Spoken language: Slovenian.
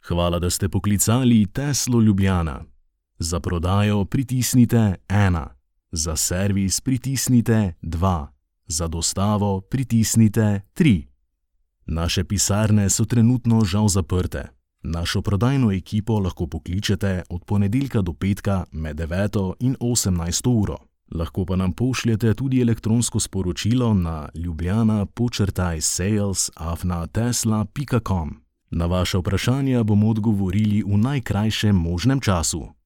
Hvala, da ste poklicali Teslo Ljubljana. Za prodajo pritisnite 1, za servis pritisnite 2, za dostavo pritisnite 3. Naše pisarne so trenutno žal zaprte. Našo prodajno ekipo lahko pokličete od ponedeljka do petka med 9 in 18 uro. Lahko pa nam pošljete tudi elektronsko sporočilo na ljubljana_sales@tesla.com. Na vaša vprašanja bomo odgovorili v najkrajšem možnem času.